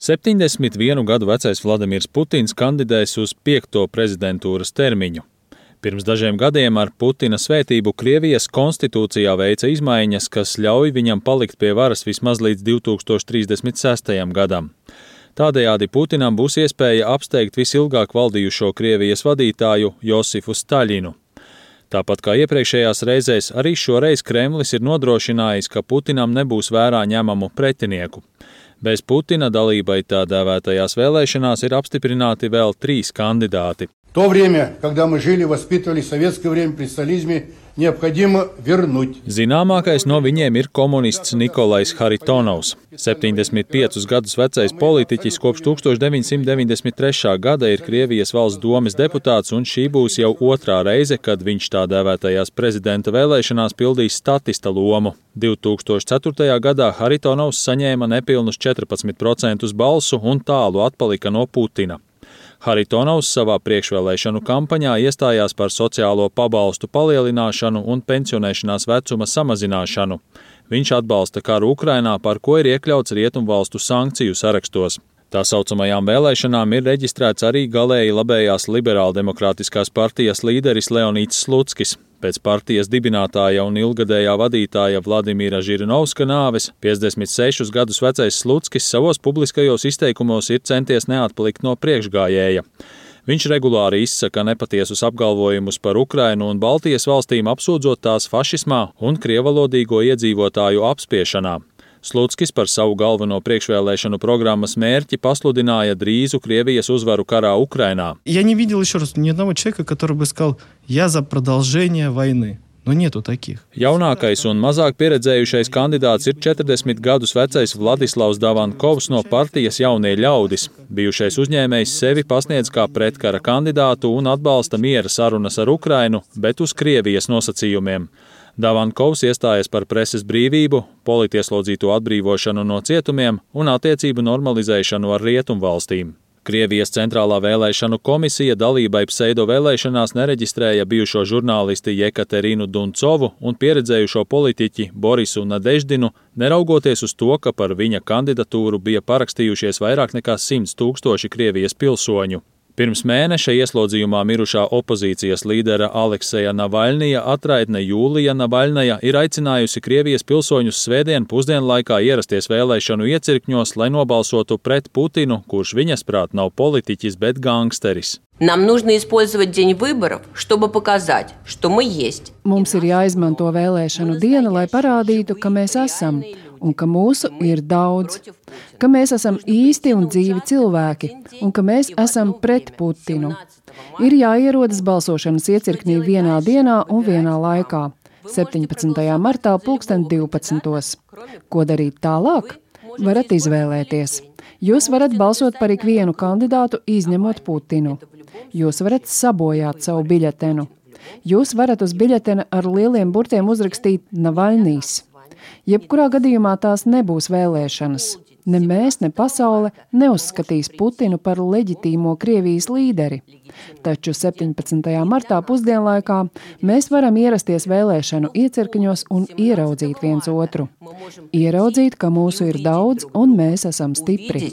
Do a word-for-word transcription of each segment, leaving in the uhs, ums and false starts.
septiņdesmit vienu gadu vecais Vladimirs Putins kandidēs uz piekto prezidentūras termiņu. Pirms dažiem gadiem ar Putina svētību Krievijas konstitūcijā veica izmaiņas, kas ļauj viņam palikt pie varas vismaz līdz divi tūkstoši trīsdesmit sestajam gadam. Tādējādi Putinam būs iespēja apsteigt visilgāk valdījušo Krievijas vadītāju Josifu Staļinu. Tāpat kā iepriekšējās reizēs, arī šoreiz Kremlis ir nodrošinājis, ka Putinam nebūs vērā ņemamu pretinieku. Bez Putina dalībai tā dēvētajās vēlēšanās ir apstiprināti vēl trīs kandidāti. То время, когда мы жили, воспитывали советское время при сталинизме, необходимо вернуть. Zināmākais no viņiem ir komunists Nikolais Haritonovs. septiņdesmit piecus gadus vecais politiķis kopš tūkstoš deviņsimt deviņdesmit trešā gada ir Krievijas valsts domes deputāts, un šī būs jau otrā reize, kad viņš tā dēvētajās prezidenta vēlēšanās pildīs statista lomu. divi tūkstoši ceturtajā gadā Haritonovs saņēma nepilnus četrpadsmit procentus balsu un tālu atpalika no Putina. Haritonovs savā priekšvēlēšanu kampaņā iestājās par sociālo pabalstu palielināšanu un pensionēšanās vecuma samazināšanu. Viņš atbalsta karu Ukrainā, par ko ir iekļauts rietumvalstu sankciju sarakstos. Tā saucamajām vēlēšanām ir reģistrēts arī galēji labējās liberāldemokrātiskās partijas līderis Leonīds Slutskis. Pēc partijas dibinātāja un ilgadējā vadītāja Vladimira Žirinovska nāves piecdesmit sešus gadus vecais Slutskis savos publiskajos izteikumos ir centies neatpalikt no priekšgājēja. Viņš regulāri izsaka nepatiesus apgalvojumus par Ukrainu un Baltijas valstīm, apsūdzot tās fašismā un krievalodīgo iedzīvotāju apspiešanā. Slutskis par savu galveno priekšvēlēšanu programmas mērķi pasludināja drīzu Krievijas uzvaru karā Ukrainā. Я не видел еще раз ни одного человека, который бы сказал: "Я за продолжение войны". Но нету таких. Jaunākais un mazāk pieredzējušais kandidāts ir četrdesmit gadus vecais Vladislavs Davankovs no partijas Jaunie ļaudis. Bijušais uzņēmējs sevi pasniedz kā pretkara kandidātu un atbalsta miera sarunas ar Ukrainu, bet uz Krievijas nosacījumiem. Davankovs iestājas par preses brīvību, politieslodzīto atbrīvošanu no cietumiem un attiecību normalizēšanu ar rietumvalstīm. Krievijas centrālā vēlēšanu komisija dalībai pseido vēlēšanās nereģistrēja bijušo žurnālisti Jekaterinu Duncovu un pieredzējušo politiķi Borisu Nadeždinu, neraugoties uz to, ka par viņa kandidatūru bija parakstījušies vairāk nekā simts tūkstoši Krievijas pilsoņu. Pirms mēneša ieslodzījumā mirušā opozīcijas līdera Alekseja Navaļnija atraitne Jūlija Navaļnaja ir aicinājusi Krievijas pilsoņus svētdien pusdienlaikā ierasties vēlēšanu iecirkņos, lai nobalsotu pret Putinu, kurš viņas prāt nav politiķis, bet gangsteris. Нам нужно использовать день выборов, чтобы показать, что мы есть. Mums ir jāizmanto vēlēšanu diena, lai parādītu, ka mēs esam un ka mūsu ir daudz, ka mēs esam īsti un dzīvi cilvēki un ka mēs esam pret Putinu. Ir jāierodas balsošanas iecirknī vienā dienā un vienā laikā, septiņpadsmitajā martā pulksten divpadsmitos. Ko darīt tālāk? Varat izvēlēties. Jūs varat balsot par ikvienu kandidātu, izņemot Putinu. Jūs varat sabojāt savu biļetenu. Jūs varat uz biļetena ar lieliem burtiem uzrakstīt Navaļnijs. Jebkurā gadījumā tās nebūs vēlēšanas. Ne mēs, ne pasaule neuzskatīs Putinu par leģitīmo Krievijas līderi. Taču septiņpadsmitajā martā pusdienlaikā mēs varam ierasties vēlēšanu iecirkņos un ieraudzīt viens otru. Ieraudzīt, ka mūsu ir daudz un mēs esam stipri.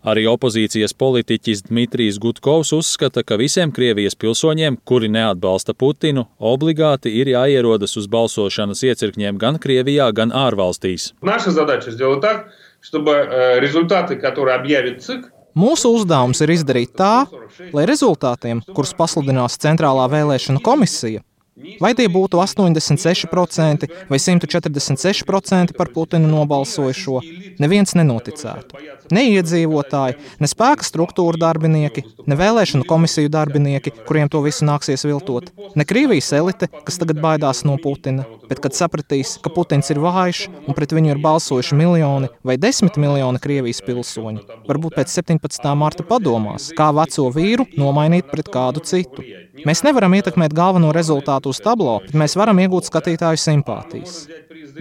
Arī opozīcijas politiķis Dmitrijs Gudkovs uzskata, ka visiem Krievijas pilsoņiem, kuri neatbalsta Putinu, obligāti ir jāierodas uz balsošanas iecirkņiem gan Krievijā, gan ārvalstīs. Mūsu uzdevums ir izdarīt tā, lai rezultātiem, kurus pasludinās Centrālā vēlēšana komisija, vai tie būtu astoņdesmit seši procenti vai simt četrdesmit seši procenti par Putinu nobalsojušo, neviens nenoticētu. Ne iedzīvotāji, ne spēka struktūra darbinieki, ne vēlēšanu komisiju darbinieki, kuriem to visu nāksies viltot, ne Krievijas elite, kas tagad baidās no Putina, bet kad sapratīs, ka Putins ir vājš un pret viņu ir balsojuši miljoni vai desmit miljoni Krievijas pilsoņu, varbūt pēc septiņpadsmitā marta padomās, kā veco vīru nomainīt pret kādu citu. Mēs nevaram ietekmēt galveno rezultātu uz tablo, bet mēs varam iegūt skatītāju simpātijas.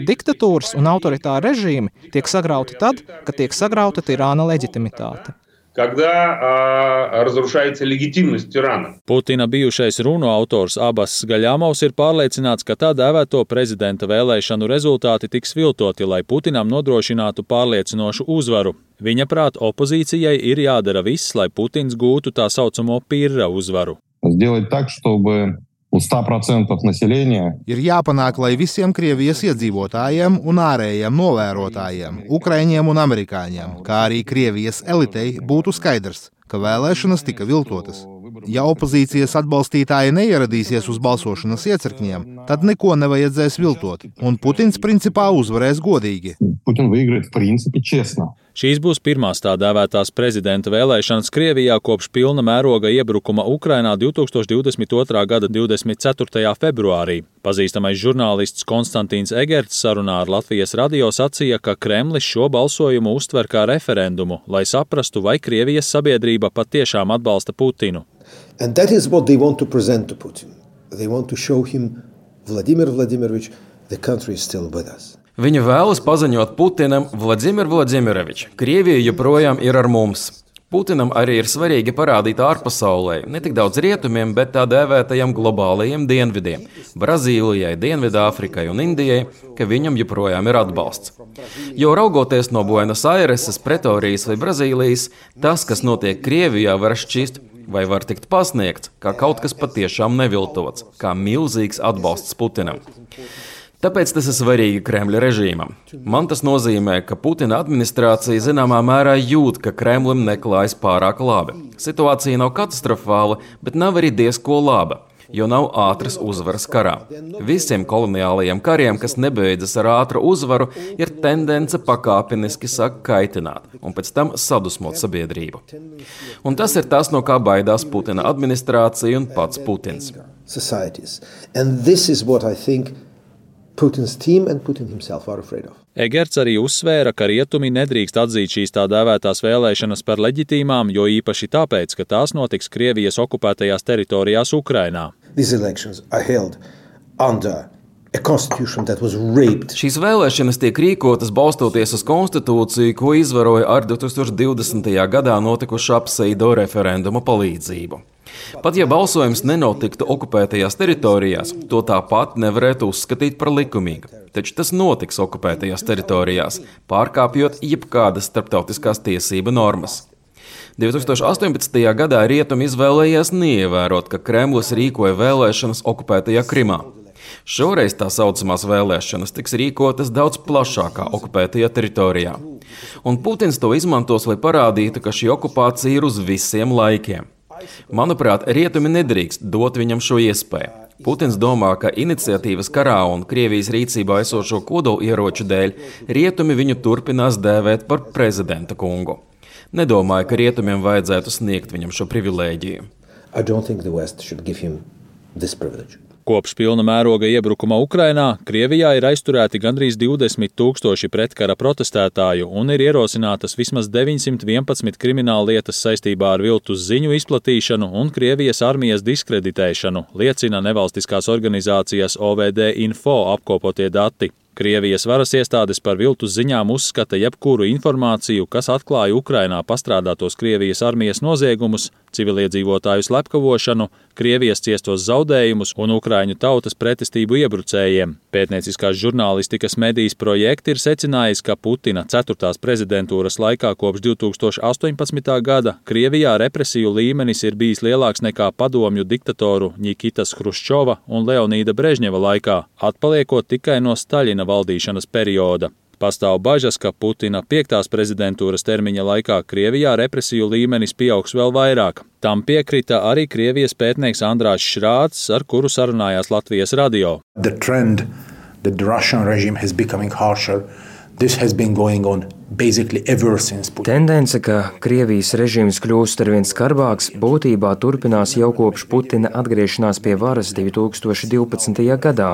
Diktatūras un autoritāri režīmi tiek sagrauti tad, kad tiek sagrauta tirāna leģitimitāte. когда а, разрушается легитимность тирана. Putina bijušais runu autors Abbas Gaļamovs ir pārliecināts, ka tā dēvēto prezidenta vēlēšanu rezultāti tiks viltoti, lai Putinam nodrošinātu pārliecinošu uzvaru. Viņa prāt, opozīcijai ir jādara viss, lai Putins gūtu tā saucamo pirra uzvaru. Сделать так, чтобы у ста процентов населения ir jāpanāk, lai visiem Krievijas iedzīvotājiem un ārējiem novērotājiem, Ukraiņiem un amerikāņiem, kā arī Krievijas elitei būtu skaidrs, ka vēlēšanas tika viltotas. Ja opozīcijas atbalstītāji neieradīsies uz balsošanas iecirkņiem, tad neko nevajadzēs viltot, un Putins principā uzvarēs godīgi. Putin выиграет в принципе честно. Šīs būs pirmās tā dēvētās prezidenta vēlēšanas Krievijā kopš pilna mēroga iebrukuma Ukrainā divtūkstoš divdesmit otrā gada divdesmit ceturtajā februārī. Pazīstamais žurnālists Konstantīns Egerts sarunā ar Latvijas radio sacīja, ka Kremlis šo balsojumu uztver kā referendumu, lai saprastu, vai Krievijas sabiedrība patiešām atbalsta Putinu. And that is what they want to present to Putin. They want to show him, Vladimir Vladimirovich, the country is still with us. Viņi vēlas paziņot Putinam, Vladimir Vladimirovič, Krievija joprojām ir ar mums. Putinam arī ir svarīgi parādīt ārpasaulē, ne tik daudz rietumiem, bet tā dēvētajiem globālajiem dienvidiem – Brazīlijai, Dienvidāfrikai un Indijai, ka viņam joprojām ir atbalsts. Jo raugoties no Buenos Aireses, Pretorijas vai Brazīlijas, tas, kas notiek Krievijā, var šķist vai var tikt pasniegts, kā kaut kas patiešām neviltots, kā milzīgs atbalsts Putinam. Tāpēc tas ir svarīgi Kremļa režīmam. Man tas nozīmē, ka Putina administrācija zināmā mērā jūt, ka Kremlim neklājas pārāk labi. Situācija nav katastrofāla, bet nav arī diezko laba, jo nav ātras uzvaras karā. Visiem koloniālajiem kariem, kas nebeidzas ar ātru uzvaru, ir tendence pakāpeniski sāk kaitināt un pēc tam sadusmot sabiedrību. Un tas ir tas, no kā baidās Putina administrācija un pats Putins. And this is what I think Putin's team and Putin himself are afraid of. Egerts arī uzsvēra, ka rietumi nedrīkst atzīt šīs tā dēvētās vēlēšanas par leģitīmām, jo īpaši tāpēc, ka tās notiks Krievijas okupētajās teritorijās Ukrainā. These elections are held under a constitution that was raped. Šīs vēlēšanas tiek rīkotas balstoties uz konstitūciju, ko izvaroja ar divtūkstoš divdesmitajā gadā notikušu pseido referenduma palīdzību. Pat ja balsojums nenotiktu okupētajās teritorijās, to tāpat nevarētu uzskatīt par likumīgu. Taču tas notiks okupētajās teritorijās, pārkāpjot jebkādas starptautiskās tiesību normas. divtūkstoš astoņpadsmitajā gadā rietumi izvēlējās neievērot, ka Kremlis rīkoja vēlēšanas okupētajā Krimā. Šoreiz tā saucamās vēlēšanas tiks rīkotas daudz plašākā okupētajā teritorijā. Un Putins to izmantos, lai parādītu, ka šī okupācija ir uz visiem laikiem. Manuprāt, rietumi nedrīkst dot viņam šo iespēju. Putins domā, ka iniciatīvas karā un Krievijas rīcībā esošo kodolieroču dēļ rietumi viņu turpinās dēvēt par prezidenta kungu. Nedomāju, ka rietumiem vajadzētu sniegt viņam šo privilēģiju. I don't think the West should give him this privilege. Kopš pilna mēroga iebrukuma Ukrainā Krievijā ir aizturēti gandrīz divdesmit tūkstoši pretkara protestētāju un ir ierosinātas vismaz deviņsimt vienpadsmit krimināla lietas saistībā ar viltus ziņu izplatīšanu un Krievijas armijas diskreditēšanu, liecina nevalstiskās organizācijas O V D Info apkopotie dati. Krievijas varas iestādes par viltus ziņām uzskata jebkuru informāciju, kas atklāja Ukrainā pastrādātos Krievijas armijas noziegumus, civiliedzīvotāju slepkavošanu, Krievijas ciestos zaudējumus un Ukraiņu tautas pretestību iebrucējiem. Pētnieciskās žurnālistikas medijas projekti ir secinājis, ka Putina ceturtās prezidentūras laikā kopš divtūkstoš astoņpadsmitā gada Krievijā represiju līmenis ir bijis lielāks nekā padomju diktatoru Ņikitas Hruščova un Leonīda Brežņeva laikā, atpaliekot tikai no Staļina valdīšanas perioda. Pastāv bažas, ka Putina piektās prezidentūras termiņa laikā Krievijā represiju līmenis pieaugs vēl vairāk. Tam piekrita arī Krievijas pētnieks Andrāss Šrāds, ar kuru sarunājās Latvijas radio. The trend that the Russian regime has becoming harsher, this has been going on basically ever since Putin. Tendence, ka Krievijas režīms kļūst arvien skarbāks, būtībā turpinās jau kopš Putina atgriešanās pie varas divtūkstoš divpadsmitajā gadā.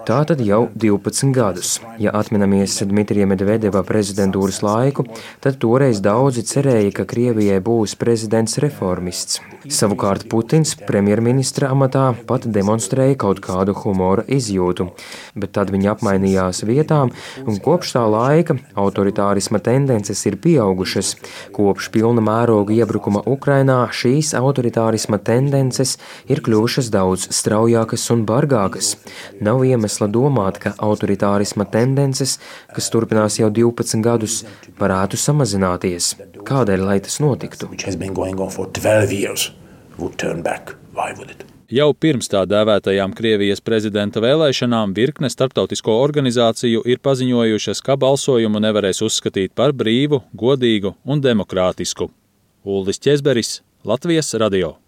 Tātad jau divpadsmit gadus. Ja atminamies Dmitrija Medvedeva prezidentūras laiku, tad toreiz daudzi cerēja, ka Krievijai būs prezidents reformists. Savukārt Putins premjerministra amatā pat demonstrēja kaut kādu humora izjūtu, bet tad viņi apmainījās vietām un kopš tā laika autoritārisma autoritārisma tendences ir pieaugušas. Kopš pilna mēroga iebrukuma Ukrainā šīs autoritārisma tendences ir kļuvušas daudz straujākas un bargākas. Nav iemesla domāt, ka autoritārisma tendences, kas turpinās jau divpadsmit gadus, varētu samazināties. Kādēļ, lai tas notiktu? Jau pirms tā dēvētajām Krievijas prezidenta vēlēšanām virkne starptautisko organizāciju ir paziņojušas, ka balsojumu nevarēs uzskatīt par brīvu, godīgu un demokrātisku. Uldis Ķezberis, Latvijas radio.